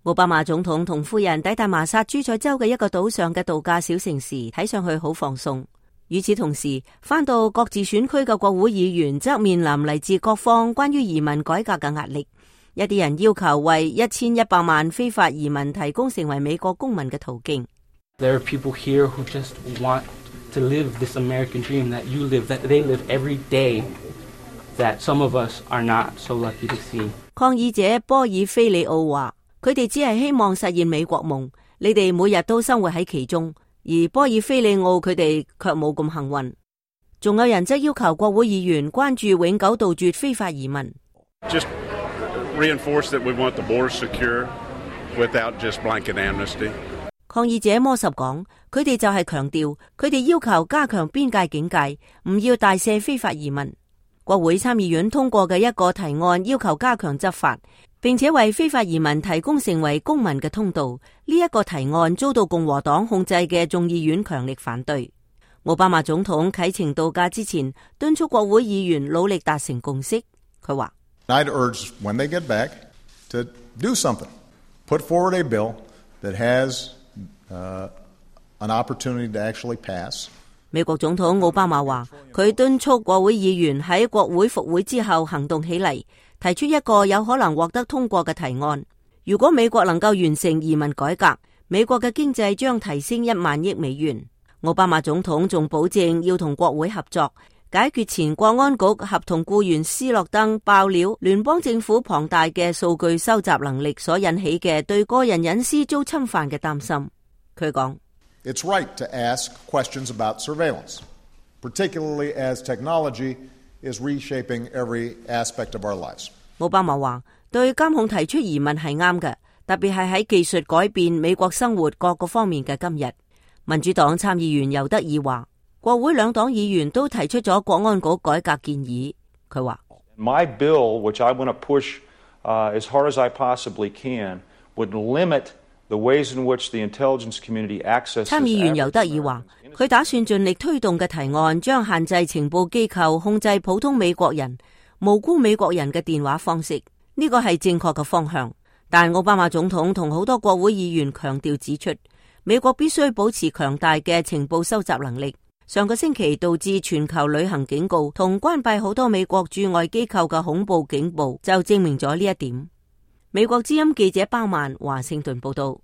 奧巴馬總統同夫人抵達麻薩諸塞州嘅一個島上嘅度假小城時，睇上去好放鬆。與此同時，返到各自選區嘅國會議員則面臨嚟自各方關於移民改革嘅壓力。一啲人要求為1100萬非法移民提供成為美國公民嘅途徑。There are people here who just want to live this American dream that you live, that they live every day, that some of us are not so lucky to see. 抗議者波爾菲里奧話：佢哋只係希望實現美國夢，你哋每日都生活喺其中。而波爾菲里奧佢哋卻冇咁幸運。仲有人則要求國會議員關注永久杜絕非法移民。Just reinforce that we want the border secure without just blanket amnesty. 抗議者摩什講，佢哋就係強調，佢哋要求加強邊界警戒，唔要大赦非法移民。國會參議院通過嘅一個提案要求加強執法，並且為非法移民提供成為公民嘅通道。呢一個提案遭到共和黨控制嘅眾議院強力反對。奧巴馬總統啟程度假之前，敦促國會議員努力達成共識。佢話：I'd urge when they get back to do something, put forward a bill that has an opportunity to actually pass. 美國總統奧巴馬話，佢敦促國會議員喺國會復會之後行動起嚟，提出一個有可能獲得通過嘅提案。如果美國能夠完成移民改革，美國嘅經濟將提升1萬億美元。奧巴馬總統仲保證要同國會合作，解決前國安局合同僱員斯諾登爆料聯邦政府龐大嘅數據收集能力所引起嘅對個人隱私遭侵犯嘅擔心。佢講：It's right to ask questions about surveillance, particularly as technology is reshaping every aspect of our lives. 奧巴馬話：對監控提出疑問係啱嘅，特別係喺技術改變美國生活各個方面嘅今日。民主黨參議員尤德爾話：國會兩黨議員都提出咗國安局改革建議。佢話：My bill, which I want to push as hard as I possibly can, would limit the ways in which the intelligence community accesses. 參議員尤德爾話：佢打算盡力推動嘅提案將限制情報機構控制普通美國人、無辜美國人嘅電話方式。呢個係正確嘅方向。但奧巴馬總統同好多國會議員強調指出，美國必須保持強大嘅情報收集能力。上個星期導致全球旅行警告同關閉好多美國駐外機構嘅恐怖警報就證明咗呢一點。美國之音記者包曼華盛頓報道。